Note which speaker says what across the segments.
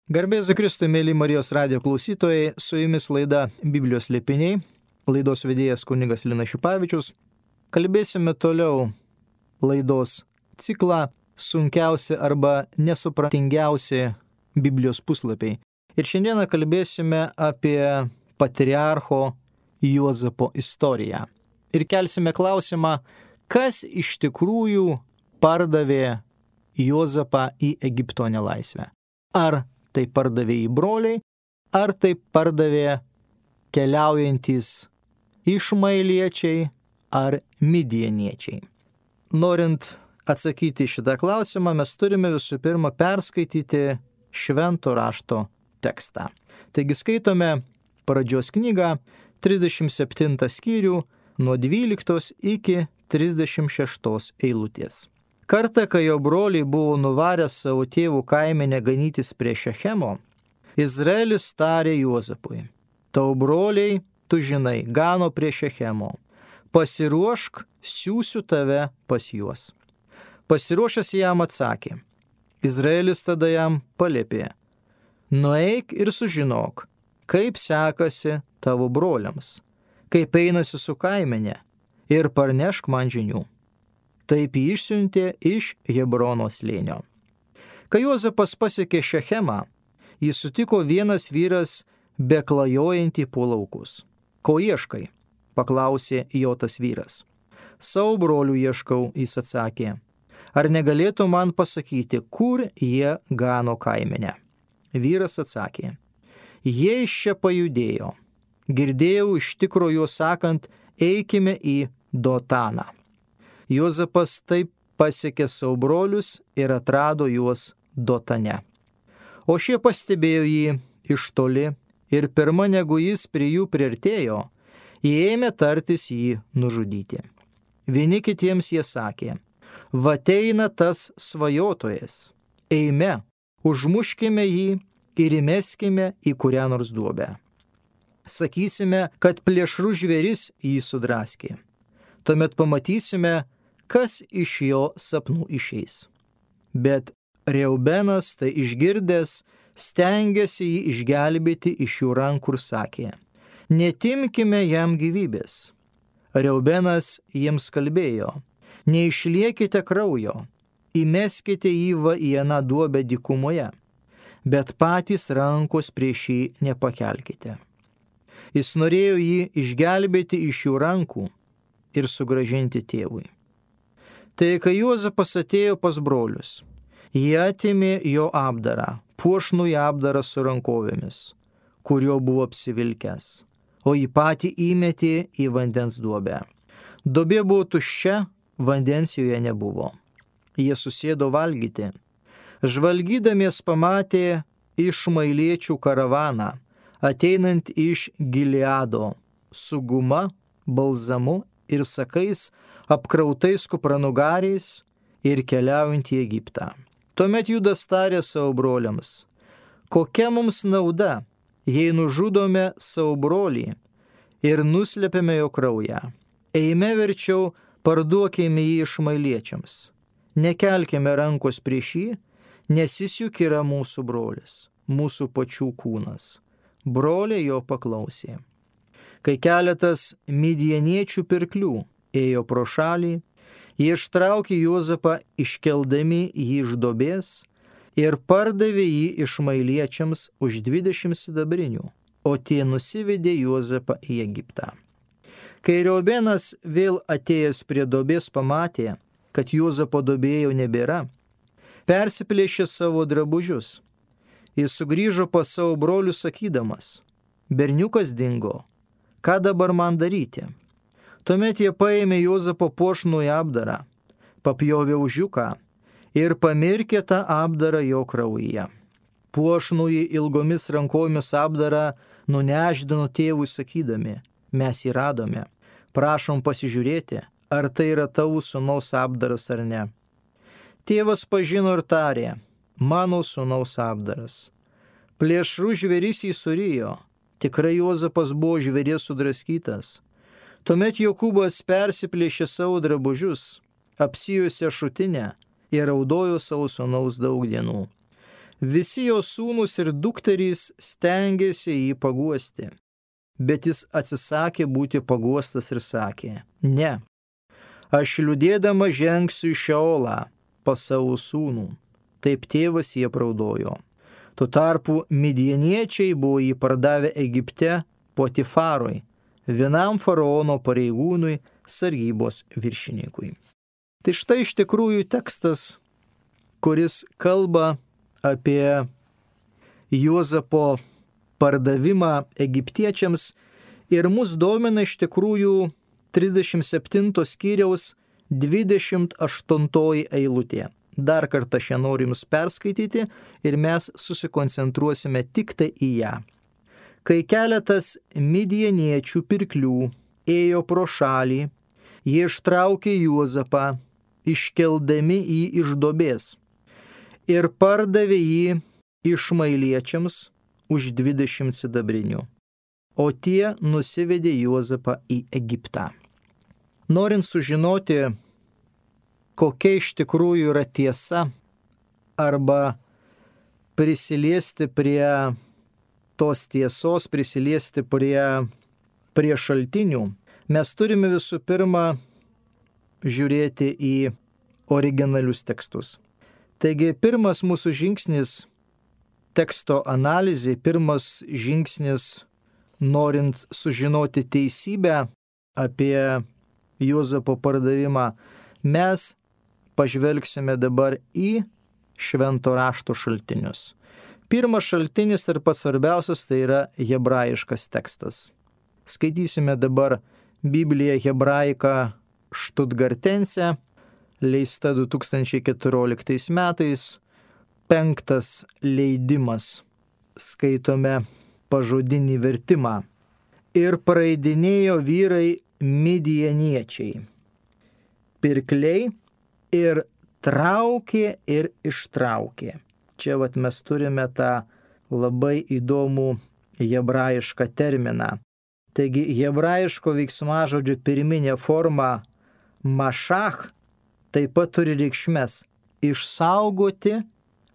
Speaker 1: Garbė Jėzui Kristui, mėly Marijos radijo klausytojai, su jumis laida Biblijos slėpiniai, laidos vedėjas kunigas Linas Šipavičius. Kalbėsime toliau laidos ciklą sunkiausi arba nesupratingiausi Biblijos puslapiai. Ir šiandieną kalbėsime apie patriarcho Juozapo istoriją. Ir kelsime klausimą, kas iš tikrųjų pardavė Juozapą į Egipto nelaisvę. Ar tai pardavė į broliai, ar tai pardavė keliaujantys išmailiečiai ar midieniečiai. Norint atsakyti šitą klausimą, mes turime visų pirma perskaityti švento rašto tekstą. Taigi skaitome pradžios knygą, 37 skyrių, nuo 12 iki 36 eilutės. Kartą, kai jo broliai buvo nuvarę savo tėvų kaimenę ganytis prie Šechemo, Izraelis tarė Juozapui: tau broliai, tu žinai, gano prie Šechemo, pasiruošk, siųsiu tave pas juos. Pasiruošęs jam atsakė. Izraelis tada jam paliepė: nueik ir sužinok, kaip sekasi tavo broliams, kaip einasi su kaimenė, ir parnešk man žinių. Taip jį išsiuntė iš Hebrono slėnio. Kai Juozapas pasiekė Šechemą, jį sutiko vienas vyras beklajojantį po laukus. Ko ieškai? Paklausė jo tas vyras. Savo brolių ieškau, jis atsakė. Ar negalėtų man pasakyti, kur jie gano kaimenę? Vyras atsakė. Jie iš čia pajudėjo. Girdėjau iš tikro juos sakant, eikime į Dotaną. Juozapas taip pasiekė savo brolius ir atrado juos Dotane. O šie pastebėjo jį iš toli ir pirma negu jis prie jų priartėjo, jie ėmė tartis jį nužudyti. Vieni kitiems jie sakė: va ateina tas svajotojas, eime, užmuškime jį ir įmeskime į kurią nors duobę. Sakysime, kad plėšrų žvėris jį sudraskė. Tuomet pamatysime, kas iš jo sapnų išeis. Bet Reubenas tai išgirdęs stengėsi jį išgelbėti iš jų rankų ir sakė: netimkime jam gyvybės. Reubenas jiems kalbėjo: neišliekite kraujo, įmeskite jį į aną duobę dykumoje, bet patys rankos prieš jį nepakelkite. Jis norėjo jį išgelbėti iš jų rankų ir sugrąžinti tėvui. Tai kai Juozapas atėjo pas brolius, jie atėmė jo apdarą, puošnų apdarą su rankovėmis, kuriuo buvo apsivilkęs, o jį patį įmetė į vandens duobę. Duobė buvo tuščia, vandens joje nebuvo. Jie susėdo valgyti. Žvalgydamies pamatė išmailiečių karavaną, ateinant iš Gileado, su guma, balzamu ir sakais, apkrautais kupranugariais ir keliaujant į Egiptą. Tuomet Judas tarė savo broliams: kokia mums nauda, jei nužudome savo brolį ir nuslėpėme jo kraują? Eime verčiau, parduokime jį išmailiečiams. Nekelkime rankos prieš jį, nes jis juk yra mūsų brolis, mūsų pačių kūnas. Broliai jo paklausė. Kai keletas midieniečių pirklių ėjo pro šalį, jie ištraukė Juozapą iškeldami jį iš duobės ir pardavė jį išmailiečiams už 20 sidabrinių, o tie nusivedė Juozapą į Egiptą. Kai Reubenas vėl atėjęs prie duobės pamatė, kad Juozapo duobėje jau nebėra, persiplėšė savo drabužius. Jis sugrįžo pas savo brolius sakydamas: berniukas dingo, ką dabar man daryti? Tuomet jie paėmė Juozapo puošnų apdarą, papjovė užiuką ir pamirkė tą apdarą jo kraujyje. Puošnųjį ilgomis rankomis apdarą nuneždino tėvui sakydami: mes jį radome, prašom pasižiūrėti, ar tai yra tavo sūnaus apdaras ar ne. Tėvas pažino ir tarė: mano sūnaus apdaras. Plėšrų žvėris jį surijo, tikrai Juozapas buvo žvėries sudraskytas. Tuomet Jokūbas persiplėšė savo drabužius, apsijuosė šutinę ir raudojo savo sūnaus daug dienų. Visi jo sūnūs ir dukterys stengėsi jį paguosti, bet jis atsisakė būti paguostas ir sakė: ne, aš liūdėdama žengsiu į Šeolą pas savo sūnų. Taip tėvas jį apraudojo. Tuo tarpu midjaniečiai buvo jį pardavę Egipte Potifarui, vienam faraono pareigūnui, sargybos viršininkui. Tai štai iš tikrųjų tekstas, kuris kalba apie Juozapo pardavimą egiptiečiams ir mus domina iš tikrųjų 37 skyriaus 28 eilutė. Dar kartą šią noriu jums perskaityti ir mes susikoncentruosime tik tai į ją. Kai keletas midjaniečių pirklių ėjo pro šalį, jie ištraukė Juozapą, iškeldami jį iš duobės, ir pardavė jį išmailiečiams už 20 sidabrinių, o tie nusivedė Juozapą į Egiptą. Norint sužinoti, kokia iš tikrųjų yra tiesa, arba prisiliesti prie tos tiesos, prisiliesti prie šaltinių, mes turime visų pirma žiūrėti į originalius tekstus. Taigi pirmas mūsų žingsnis teksto analizė, pirmas žingsnis norint sužinoti teisybę apie Juozapo pardavimą, mes pažvelgsime dabar į švento rašto šaltinius. Pirmas šaltinis ir pats svarbiausias tai yra hebrajiškas tekstas. Skaitysime dabar Bibliją hebraika Štutgartense, leista 2014 metais, 5 leidimas. Skaitome pažodinį vertimą. Ir praeidinėjo vyrai midjaniečiai, pirkliai, ir traukė ir ištraukė. Čia mes turime tą labai įdomų hebrajišką terminą. Taigi hebrajiško veiksmažodžio pirminė forma mašach taip pat turi reikšmes išsaugoti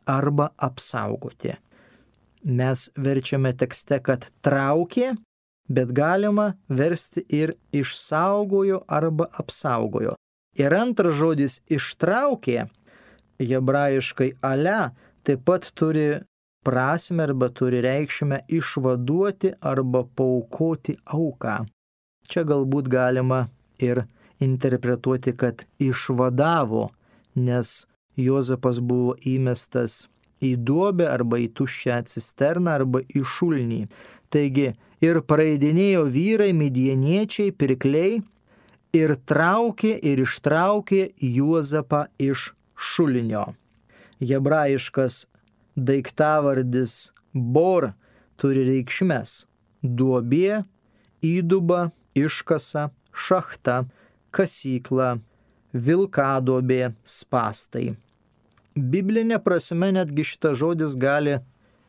Speaker 1: arba apsaugoti. Mes verčiame tekste, kad traukė, bet galima versti ir išsaugojo arba apsaugojo. Ir antras žodis ištraukė, hebrajiškai ale, taip pat turi prasmę arba turi reikšmę išvaduoti arba paaukoti auką. Čia galbūt galima ir interpretuoti, kad išvadavo, nes Juozapas buvo įmestas į duobę arba į tuščią cisterną arba į šulinį. Taigi ir praeidinėjo vyrai midjaniečiai, pirkliai, ir traukė ir ištraukė Juozapą iš šulinio. Hebrajiškas daiktavardis bor turi reikšmes: duobė, įduba, iškasa, šachta, kasykla, vilkadobė, spastai. Biblinė prasme netgi šitas žodis gali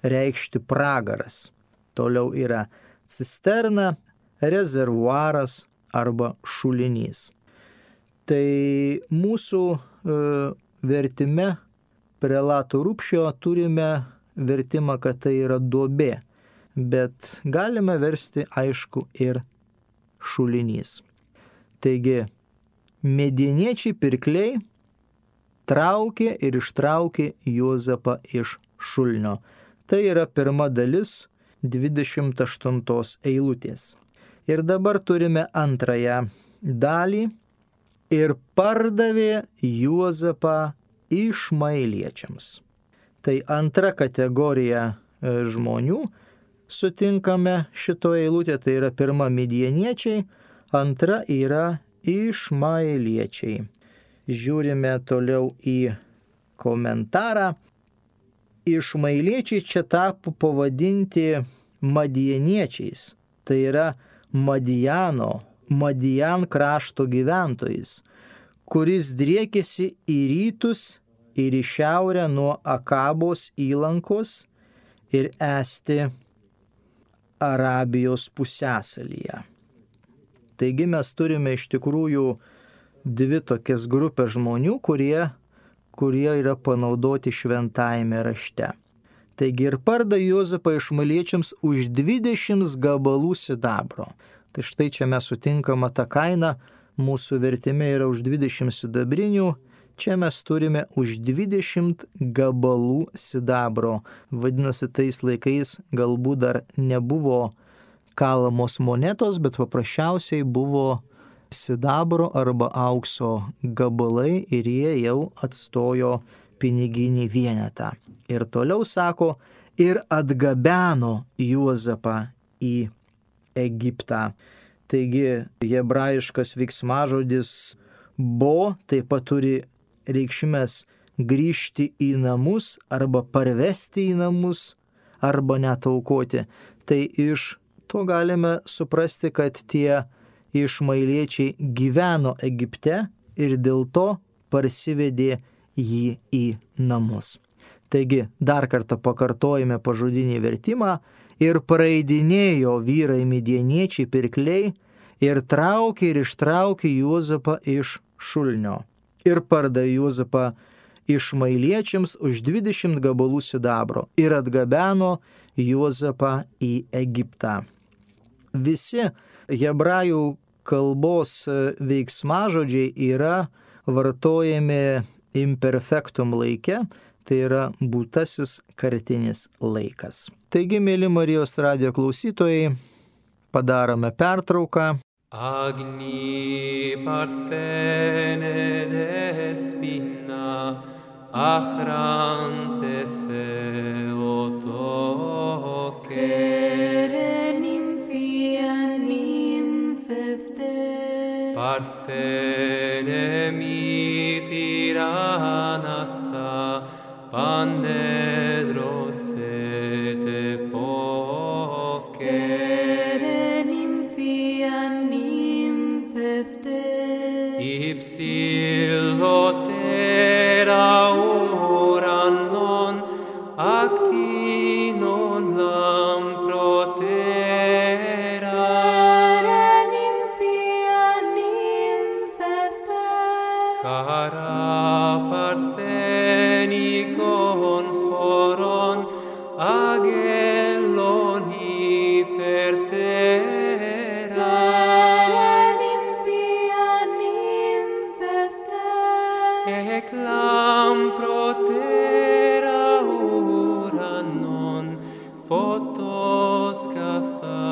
Speaker 1: reikšti pragaras. Toliau yra cisterna, rezervuaras arba šulinys. Tai mūsų vertime prelato Rupšio turime vertimą, kad tai yra duobė, bet galime versti aišku ir šulinys. Taigi, midjaniečiai pirkliai traukė ir ištraukė Juozapą iš šulinio. Tai yra pirma dalis 28 eilutės. Ir dabar turime antrąją dalį. Ir pardavė Juozapą išmailiečiams. Tai antra kategorija žmonių sutinkame šitoje eilutėje. Tai yra pirma midjaniečiai, antra yra išmailiečiai. Žiūrime toliau į komentarą. Išmailiečiai čia tapo pavadinti madjaniečiais. Tai yra Madian krašto gyventojais, kuris driekėsi į rytus ir į šiaurę nuo Akabos įlankos ir esti Arabijos pusiasalyje. Taigi mes turime iš tikrųjų dvi tokias grupės žmonių, kurie yra panaudoti šventajame rašte. Taigi ir pardavė Juozapą išmaeliečiams už 20 gabalų sidabro. Tai štai čia mes sutinkama ta kaina, mūsų vertime yra už 20 sidabrinių, čia mes turime už 20 gabalų sidabro. Vadinasi, tais laikais galbūt dar nebuvo kalamos monetos, bet paprasčiausiai buvo sidabro arba aukso gabalai ir jie jau atstojo piniginį vienetą. Ir toliau sako, ir atgabeno Juozapą į Egiptą. Taigi hebrajiškas veiksmažodis bo taip pat turi reikšmės grįžti į namus arba parvesti į namus arba net aukoti. Tai iš to galime suprasti, kad tie išmaeliečiai gyveno Egipte ir dėl to parsivedė jį į namus. Taigi dar kartą pakartojame pažodinį vertimą. Ir praeidinėjo vyrai midjaniečiai pirkliai ir traukė ir ištraukė Juozapą iš šulinio. Ir pardavė Juozapą išmaeliečiams už 20 gabalų sidabro ir atgabeno Juozapą į Egiptą. Visi hebrajų kalbos veiksmažodžiai yra vartojami imperfektum laike, tai yra būtasis kartinis laikas. Taigi, mėly Marijos radijo klausytojai, padarome pertrauką.
Speaker 2: Agni parthene despina, achrante theotoke.
Speaker 3: Kerenim fianim fefte.
Speaker 2: Parthene mitiranasa, pandedros et epoke.
Speaker 3: Kerenim fianim fefte.
Speaker 2: Ipsilotera uranon actinon lamprotera.
Speaker 3: Kerenim fianim fefte.
Speaker 2: Cara parthenikon choron agellon hypertera.
Speaker 3: Kerenim fianim fefte.
Speaker 2: Eclam protera uranon photos catharotera.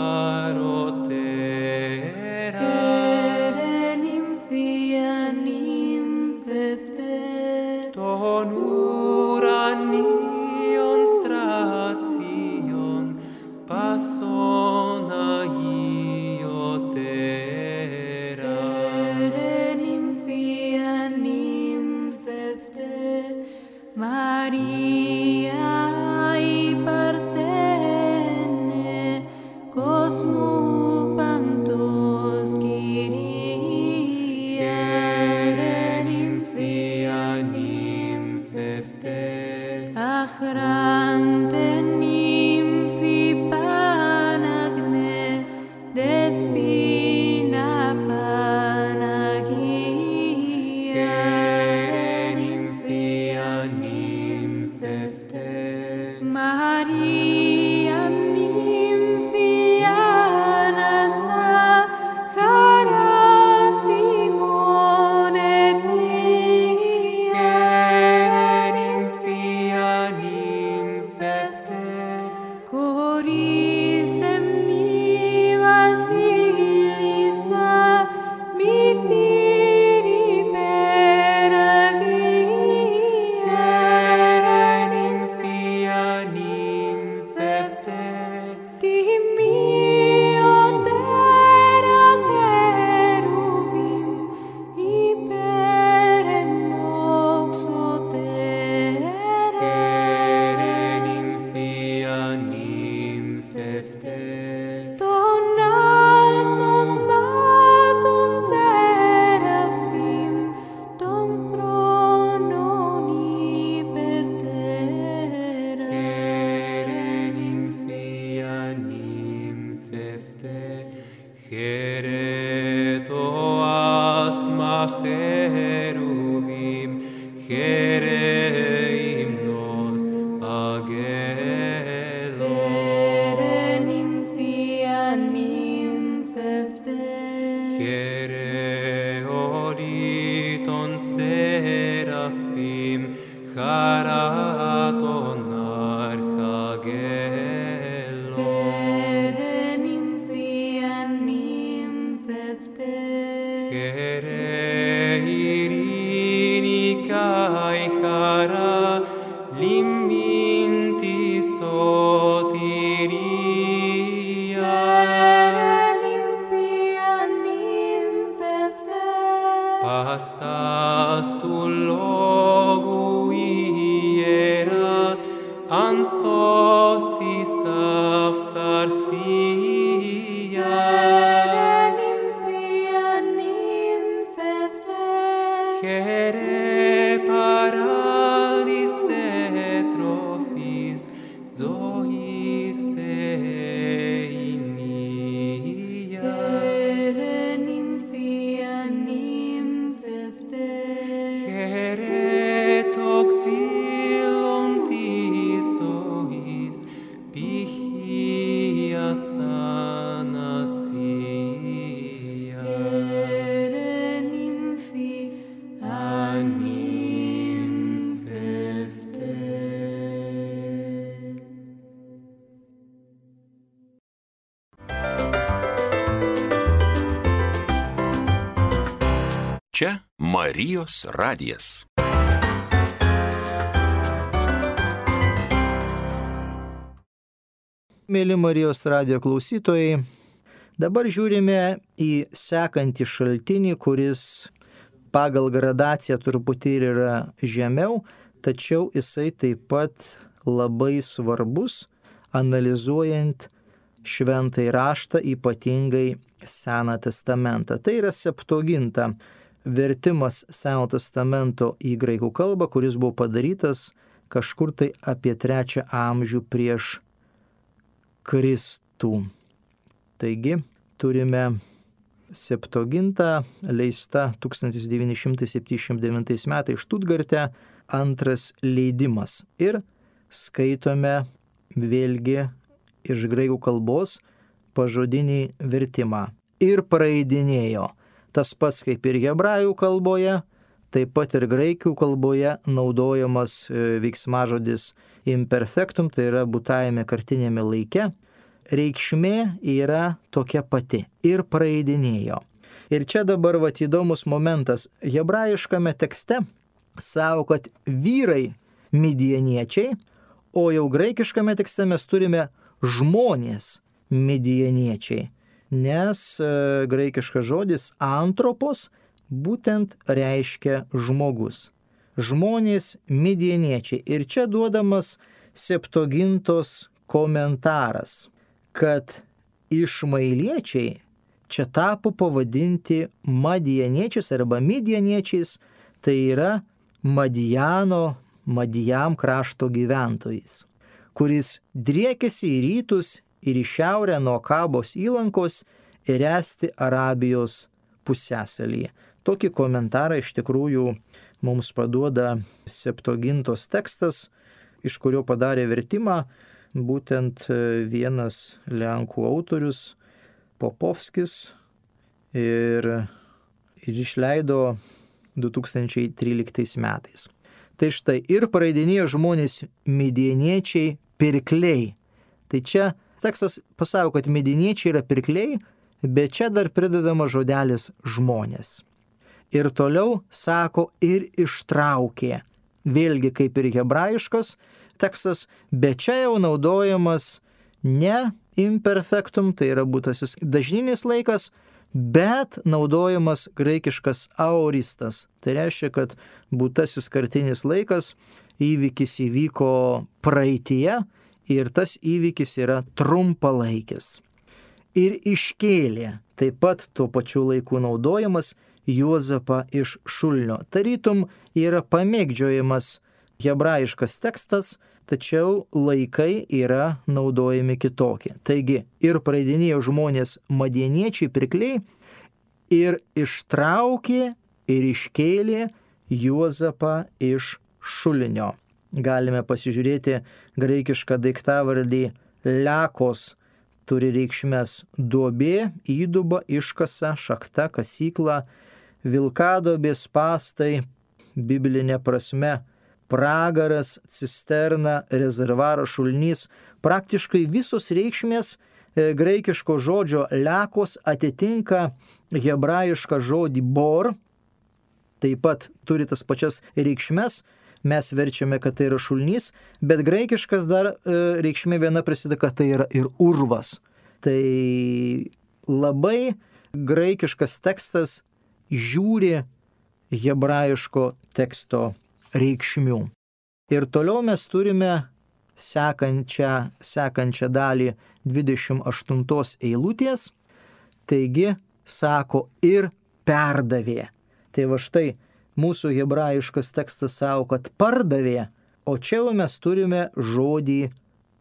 Speaker 3: Kerenim fianim fefte.
Speaker 2: Ton uranion stration pasona iotera.
Speaker 3: Kerenim fianim fefte. Maria i parthene
Speaker 2: flagellum.
Speaker 3: Here nymphia nymphefte.
Speaker 2: Here iricae chara liminti sotiria.
Speaker 3: Here nymphia nymphefte.
Speaker 2: Pastas tu logu iera anthostis aphtharsia.
Speaker 3: Here nymphia nymphefte.
Speaker 2: Here paradise trophis zoiste inia.
Speaker 3: Here nymphia nymphefte.
Speaker 2: Here toxilontis sois pichia thanasia.
Speaker 3: Here nymphia nymphefte.
Speaker 4: Čia Marijos radijas.
Speaker 1: Mėly Marijos radijo klausytojai, dabar žiūrime į sekantį šaltinį, kuris pagal gradaciją truputį yra žemiau, tačiau jisai taip pat labai svarbus, analizuojant šventąjį raštą, ypatingai Seną testamentą. Tai yra Septuaginta, vertimas Seno testamento į graikų kalbą, kuris buvo padarytas kažkur tai apie 3 amžių prieš Kristų. Taigi turime Septuagintą, leista 1979 metais Štutgarte, 2 leidimas. Ir skaitome vėlgi iš graikų kalbos pažodinį vertimą. Ir praeidinėjo. Tas pats kaip ir hebrajų kalboje, taip pat ir graikų kalboje naudojamas veiksmažodis imperfektum, tai yra būtajame kartinėme laike. Reikšmė yra tokia pati. Ir praeidinėjo. Ir čia dabar įdomus momentas. Hebrajiškame tekste savo, kad vyrai midjaniečiai, o jau graikiškame tekste mes turime žmonės midjaniečiai. Nes graikiškas žodis antropos būtent reiškia žmogus. Žmonės midjaniečiai. Ir čia duodamas Septuagintos komentaras, kad išmailiečiai čia tapo pavadinti madjaniečiais arba midjaniečiais, tai yra Madjam krašto gyventojais, kuris driekėsi į rytus ir į šiaurę nuo Kabos įlankos ir esti Arabijos pusiasalyje. Tokį komentarą iš tikrųjų mums paduoda Septuagintos tekstas, iš kurio padarė vertimą būtent vienas lenkų autorius Popovskis ir išleido 2013 metais. Tai štai, ir praeidinėjo žmonės midjaniečiai pirkliai. Tai čia tekstas pasako, kad midjaniečiai yra pirkliai, bet čia dar pridedama žodelis žmonės. Ir toliau sako, ir ištraukė. Vėlgi kaip ir hebrajiškas tekstas, bet čia jau naudojamas ne imperfektum, tai yra būtasis dažninis laikas, bet naudojamas graikiškas aoristas. Tai reiškia, kad būtasis kartinis laikas, įvykis įvyko praeityje ir tas įvykis yra trumpalaikis. Ir iškėlė, taip pat tuo pačiu laiku naudojamas, Juozapą iš šulinio. Tarytum yra pamėgdžiojamas hebrajiškas tekstas, tačiau laikai yra naudojami kitokie. Taigi, ir praeidinėjo žmonės madjaniečiai pirkliai, ir ištraukė ir iškėlė Juozapą iš šulinio. Galime pasižiūrėti graikišką daiktavardį lekos, turi reikšmes duobė, įduba, iškasa, šakta, kasykla, vilkadobės spąstai, biblinė prasme, pragaras, cisterna, rezervaras, šulinys, praktiškai visos reikšmės graikiško žodžio lekos atitinka hebrajišką žodį bor, taip pat turi tas pačias reikšmes, mes verčiame, kad tai yra šulnys, bet graikiškas dar reikšmė viena prisideda, kad tai yra ir urvas. Tai labai graikiškas tekstas žiūri hebrajiško teksto reikšmių. Ir toliau mes turime sekančią dalį 28 eilutės, taigi sako ir perdavė. Tai va štai mūsų hebrajiškas tekstas sako, kad pardavė, o čia jau mes turime žodį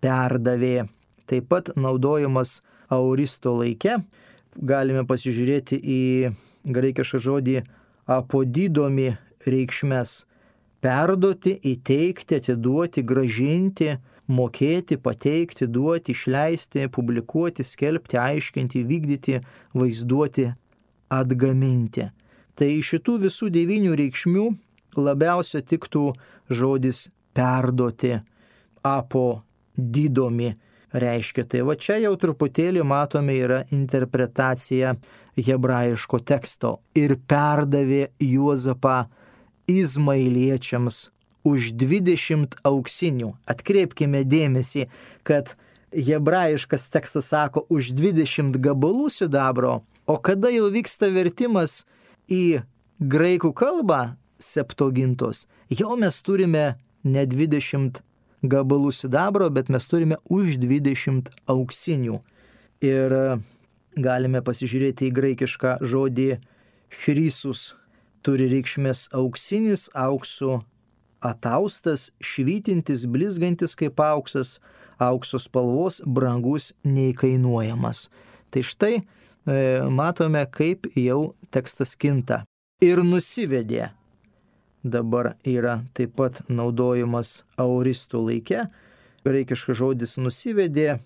Speaker 1: perdavė. Taip pat naudojamas aoristo laike. Galime pasižiūrėti į graikišką žodį apodidomi reikšmes. Perduoti, įteikti, atiduoti, gražinti, mokėti, pateikti, duoti, išleisti, publikuoti, skelbti, aiškinti, vykdyti, vaizduoti, atgaminti. Tai iš šitų visų 9 reikšmių labiausia tiktų žodis perduoti, apodidomi reiškia. Tai va čia jau truputėlį matome yra interpretacija hebrajiško teksto. Ir perdavė Juozapą Izmailiečiams už 20 auksinių. Atkreipkime dėmesį, kad hebrajiškas tekstas sako už 20 gabalų sidabro, o kada jau vyksta vertimas į graikų kalbą septogintos, jau mes turime ne 20 gabalų sidabro, bet mes turime už 20 auksinių. Ir galime pasižiūrėti į graikišką žodį chrysus. Turi reikšmės auksinis, auksu ataustas, švytintis, blizgantis kaip auksas, aukso spalvos, brangus, neįkainuojamas. Tai štai matome, kaip jau tekstas kinta. Ir nusivedė. Dabar yra taip pat naudojamas aoristų laike. Graikiškas žodis nusivedė.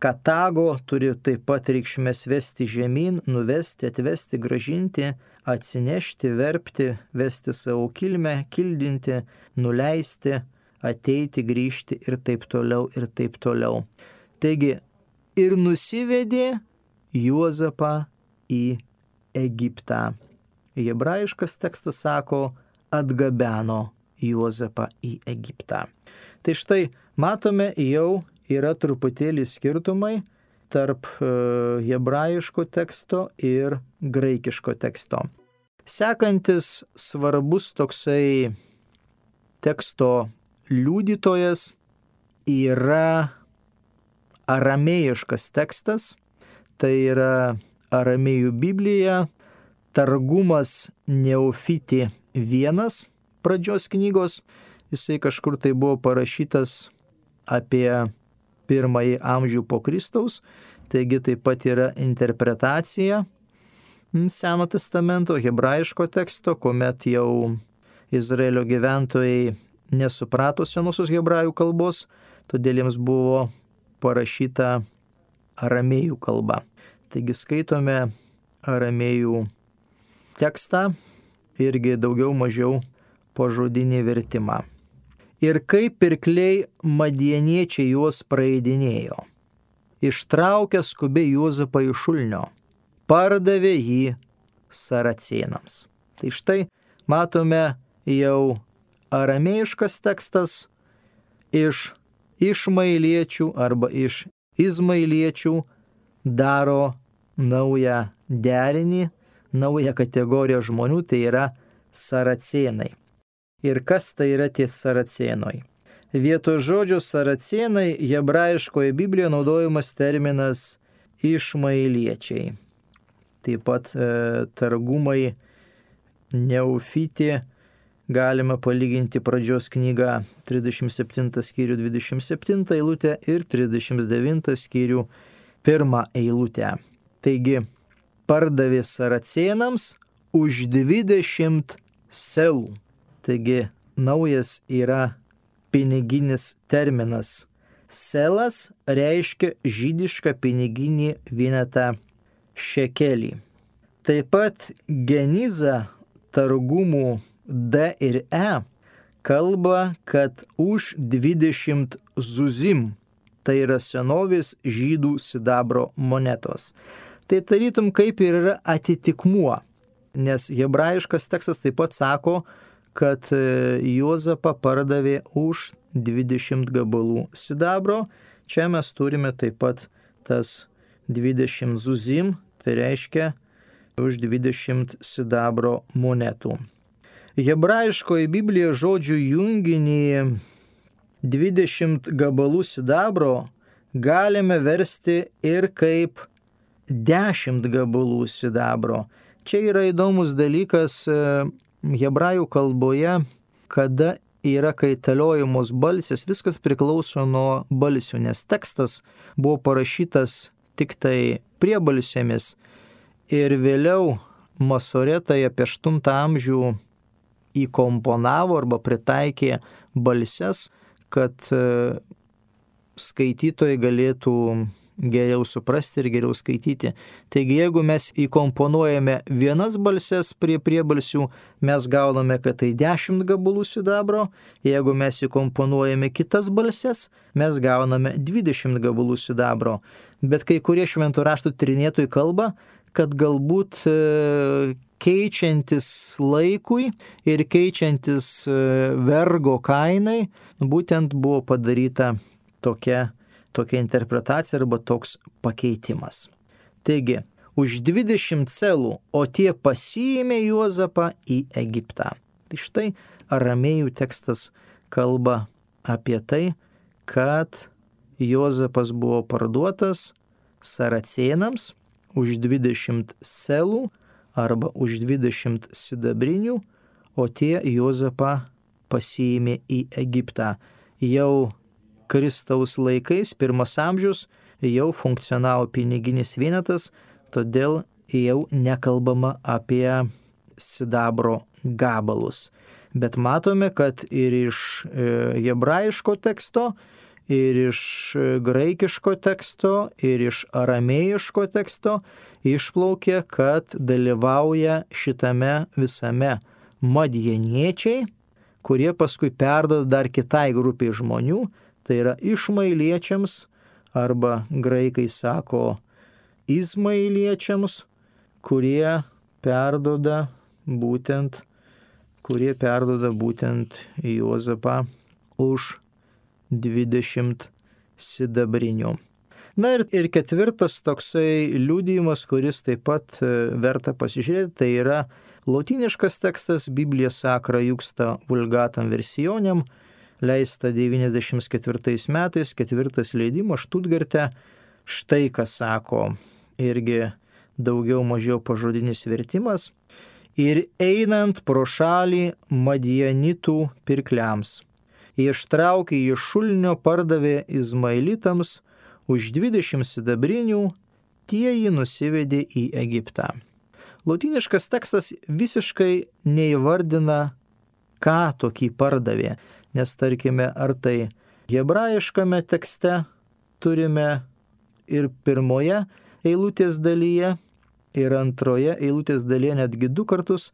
Speaker 1: Katago turi taip pat reikšmės vesti žemyn, nuvesti, atvesti, gražinti, atsinešti, verpti, vesti savo kilmę, kildinti, nuleisti, ateiti, grįžti ir taip toliau, ir taip toliau. Taigi, ir nusivedė Juozapą į Egiptą. Hebrajiškas tekstas sako, atgabeno Juozapą į Egiptą. Tai štai matome, jau yra truputėlį skirtumai tarp hebrajiško teksto ir graikiško teksto. Sekantis svarbus toksai teksto liudytojas yra aramėjiškas tekstas, tai yra aramėjų Biblija, Targumas Neofiti 1 pradžios knygos, jisai kažkur tai buvo parašytas apie 1 amžių po Kristaus, taigi taip pat yra interpretacija Seno testamento, hebrajiško teksto, kuomet jau Izraelio gyventojai nesuprato senosios hebrajų kalbos, todėl jiems buvo parašyta aramėjų kalba. Taigi skaitome aramėjų tekstą, irgi daugiau mažiau pažodinį vertimą. Ir kaip pirkliai madieniečiai juos praeidinėjo. Ištraukė skubiai Juozapą iš šulnio, pardavė jį saracėnams. Tai štai matome jau aramėjiškas tekstas iš išmailiečių arba iš izmailiečių daro naują derinį, naują kategoriją žmonių, tai yra saracėnai. Ir kas tai yra tie saracėnai? Vietoj žodžio saracėnai hebrajiškoje Biblijoje naudojamas terminas išmailiečiai. Taip pat targumai Neofiti galima palyginti pradžios knygą 37 skyrių 27 eilutę ir 39 skyrių 1 eilutę. Taigi, pardavė saracėnams už 20 selų. Taigi, naujas yra piniginis terminas. Selas reiškia žydišką piniginį vienetą šekelį. Taip pat geniza targumų D ir E kalba, kad už 20 zuzim Tai yra senovės žydų sidabro monetos. Tai tarytum kaip ir yra atitikmuo, nes hebrajiškas tekstas taip pat sako, kad Juozapą pardavė už 20 gabalų sidabro. Čia mes turime taip pat tas 20 zuzim, tai reiškia už 20 sidabro monetų. Hebrajiškoje Biblijoje žodžių junginį 20 gabalų sidabro galime versti ir kaip 10 gabalų sidabro. Čia yra įdomus dalykas hebrajų kalboje, kada yra kaitaliojamos balsės, viskas priklauso nuo balsių, nes tekstas buvo parašytas tik tai priebalsėmis ir vėliau masoretai apie 8 amžių įkomponavo arba pritaikė balses, kad skaitytojai galėtų geriau suprasti ir geriau skaityti. Taigi, jeigu mes įkomponuojame vienas balses prie priebalsių, mes gauname, kad tai 10 gabalų sidabro, jeigu mes įkomponuojame kitas balses, mes gauname 20 gabalų sidabro. Bet kai kurie šventų raštų tyrinėtojai kalba, kad galbūt keičiantis laikui ir keičiantis vergo kainai, būtent buvo padaryta tokia interpretacija arba toks pakeitimas. Taigi, už 20 celų, o tie pasiėmė Juozapą į Egiptą. Tai štai aramėjų tekstas kalba apie tai, kad Juozapas buvo parduotas saracėnams už 20 celų arba už 20 sidabrinių, o tie Juozapą pasiėmė į Egiptą. Jau Kristaus laikais, 1 amžius, jau funkcionavo piniginis vienetas, todėl jau nekalbama apie sidabro gabalus. Bet matome, kad ir iš hebrajiško teksto, ir iš graikiško teksto, ir iš aramėjiško teksto išplaukė, kad dalyvauja šitame visame madjaniečiai, kurie paskui perduoda dar kitai grupiai žmonių, tai yra išmailiečiams, arba graikai sako izmailiečiams, kurie perduoda būtent Juozapą už 20 sidabrinių. Na ir ketvirtas toksai liudijimas, kuris taip pat verta pasižiūrėti, tai yra lotyniškas tekstas Biblija Sacra Juxta Vulgatam Versioniem, leista 94 metais, 4 leidimas Štutgarte. Štai ką sako, irgi daugiau mažiau pažodinis vertimas. Ir einant pro šalį madjanitų pirkliams, jie ištraukė iš šulinio, pardavė izmailitams už 20 sidabrinių, tie jį nusivedė į Egiptą. Lotyniškas tekstas visiškai neįvardina, ką tokį pardavė, nes tarkime, ar tai hebrajiškame tekste turime ir pirmoje eilutės dalyje, ir antroje eilutės dalyje netgi 2 kartus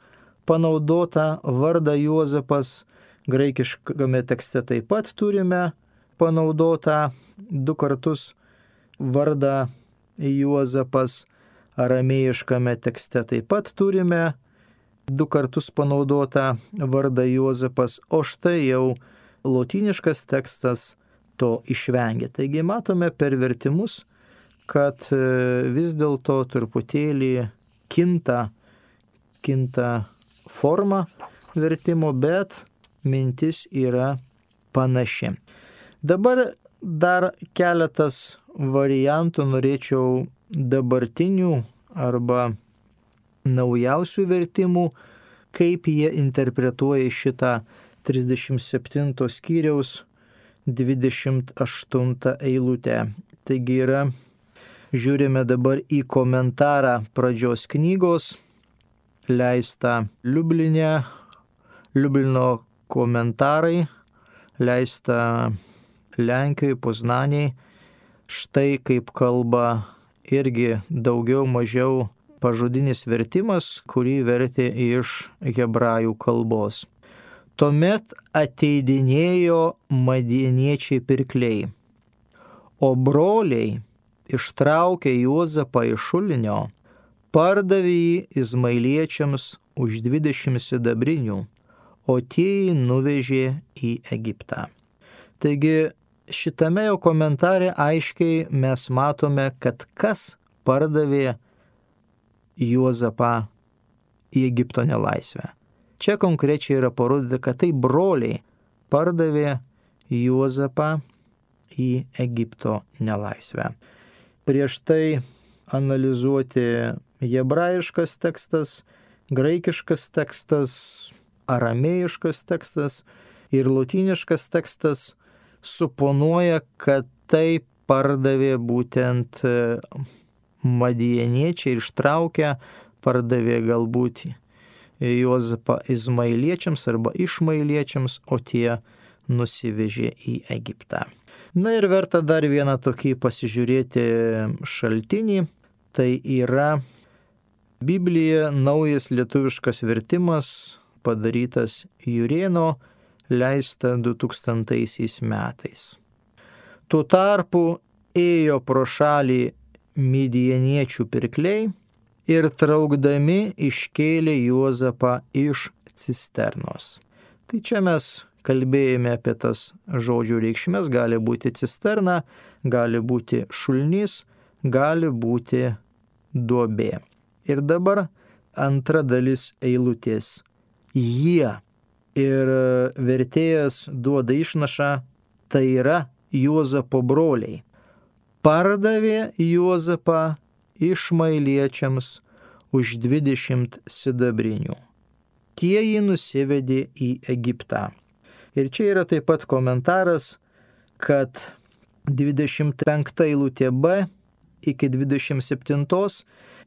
Speaker 1: panaudota vardą Juozapas, graikiškame tekste taip pat turime panaudota 2 kartus vardą Juozapas, aramėjiškame tekste taip pat turime 2 kartus panaudota vardą Juozapas, o štai jau lotyniškas tekstas to išvengia. Taigi matome per vertimus, kad vis dėlto truputėlį kinta forma vertimo, bet mintis yra panaši. Dabar dar keletas variantų norėčiau dabartinių arba naujausių vertimų, kaip jie interpretuoja šitą 37 skyriaus 28 eilutę. Taigi žiūrime dabar į komentarą pradžios knygos, leista Liublino komentarai, leista Lenkijoje, Poznanėje. Štai kaip kalba irgi daugiau mažiau pažodinis vertimas, kurį vertė iš hebrajų kalbos. Tuomet ateidinėjo madjaniečiai pirkliai, O broliai ištraukė Juozapą iš šulinio, pardavė jį izmaeliečiams už 20 sidabrinių, o tie jį nuvežė į Egiptą. Taigi šitame jo komentare aiškiai mes matome, kad kas pardavė Juozapą į Egipto nelaisvę. Čia konkrečiai yra parodyta, kad tai broliai pardavė Juozapą į Egipto nelaisvę. Prieš tai analizuoti hebrajiškas tekstas, graikiškas tekstas, aramėjiškas tekstas ir lotyniškas tekstas suponuoja, kad tai pardavė būtent madieniečiai ir ištraukę, pardavė galbūt Juozapą izmaeliečiams arba išmaeliečiams, o tie nusivežė į Egiptą. Na ir verta dar vieną tokį pasižiūrėti šaltinį, tai yra Biblija naujas lietuviškas vertimas padarytas Jurėno, leista 2000 metais. Tuo tarpu ėjo pro šalį midieniečių pirkliai ir traukdami iškėlė Juozapą iš cisternos. Tai čia mes kalbėjome apie tas žodžių reikšmės, gali būti cisterna, gali būti šulinys, gali būti duobė. Ir dabar antra dalis eilutės. Jie. Ir vertėjas duoda išnašą, tai yra Juozapo broliai. Pardavė Juozapą išmaeliečiams už 20 sidabrinių. Tie jį nusivedė į Egiptą. Ir čia yra taip pat komentaras, kad 25 eilutė B iki 27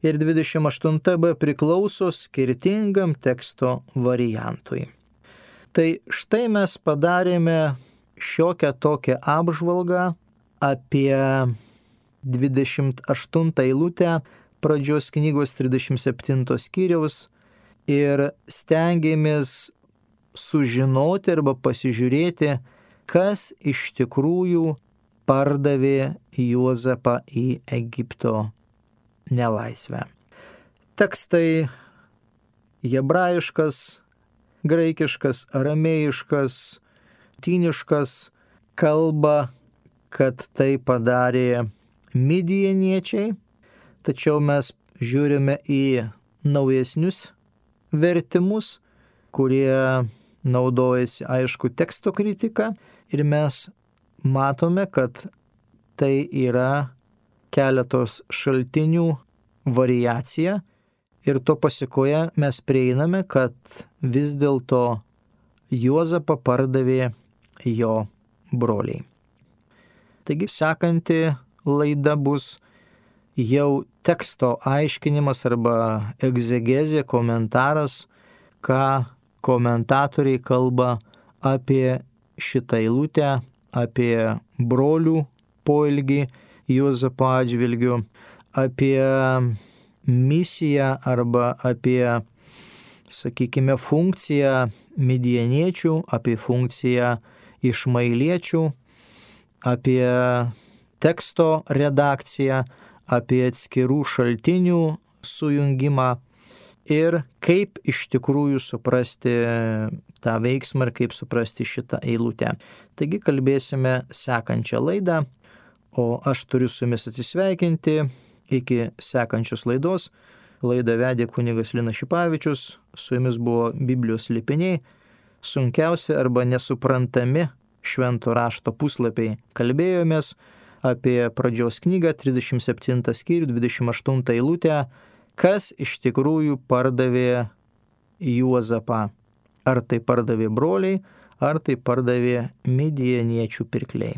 Speaker 1: ir 28 B priklauso skirtingam teksto variantui. Tai štai mes padarėme šiokią tokią apžvalgą apie 28 eilutę pradžios knygos 37 skyriaus ir stengiamės sužinoti arba pasižiūrėti, kas iš tikrųjų pardavė Juozapą į Egipto nelaisvę. Tekstai hebrajiškas, graikiškas, aramėjiškas, lotyniškas kalba, kad tai padarė midieniečiai, tačiau mes žiūrime į naujesnius vertimus, kurie naudojasi aišku teksto kritika ir mes matome, kad tai yra keletos šaltinių variacija ir to pasikoje mes prieiname, kad vis dėlto Juozapą pardavė jo broliai. Taigi sekanti laida bus jau teksto aiškinimas arba egzegezė, komentaras, ką komentatoriai kalba apie šitą eilutę, apie brolių poelgį Juozapo atžvilgiu, apie misiją arba apie, sakykime, funkciją midieniečių, apie funkciją išmaeliečių, apie teksto redakciją, apie atskirų šaltinių sujungimą ir kaip iš tikrųjų suprasti tą veiksmą ir kaip suprasti šitą eilutę. Taigi kalbėsime sekančią laidą, o aš turiu su jumis atsisveikinti iki sekančios laidos. Laidą vedė kunigas Linas Šipavičius, su jumis buvo Biblijos slėpiniai, sunkiausi arba nesuprantami švento rašto puslapiai. Kalbėjomės apie pradžios knygą, 37 skyrių, 28 eilutę, kas iš tikrųjų pardavė Juozapą. Ar tai pardavė broliai, ar tai pardavė midieniečių pirkliai.